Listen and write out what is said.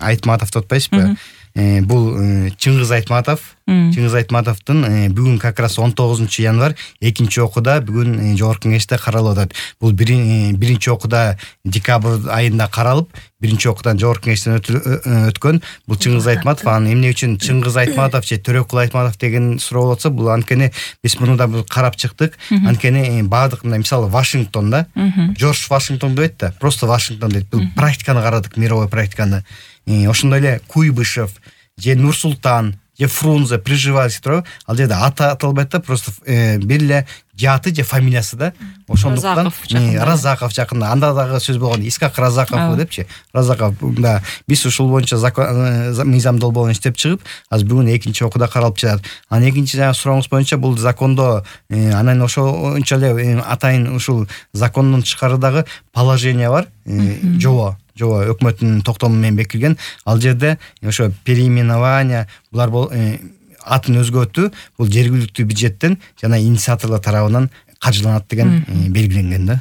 Айтматов деп атпайсызбы? Бул Чыңгыз Айтматовдун бүгүн как раз 19 январь 2 окууда бүгүн жогорку кеңеште каралып атат. Бул биринчи окууда декабрь айында каралып, биринчи окуудан жогорку кеңештен өткөн. Бул Чыңгыз Айтматов, анан эмне үчүн Чыңгыз Айтматов же Төрөкул Айтматов деген суроо болуп атса, бул анткени биз муну да карап чыктык. Анткени баардык мисалы Вашингтонда Жорж Вашингтон дейт да, просто Вашингтон дейт. Бул практиканы карадык, мировой практиканы. Ошондой эле Куйбышев же Нурсултан же Фрунзе, Приживальский турабы, ал жерде аты аталбайт да, просто бир эле жаты же фамилиясы да. Ошондуктан Разаков жакында, анда дагы сөз болгон Искак Разаков депчи. Разаков да биз ушул боюнча мыйзам долбоон иштеп чыгып, азыр бүгүн 2-окууда каралып жатат. Анан экинчи сурооңуз боюнча бул закондо анан ошончо эле атайын ушул закондун тышкарыдагы положение бар. Жобо өкмөттүн токтому менен бекитилген. Ал жерде ошо переименование булар атын өзгөртүү бул жергиликтүү бюджеттен жана инициаторлор тарабынан каржыланат деген белгиленген да.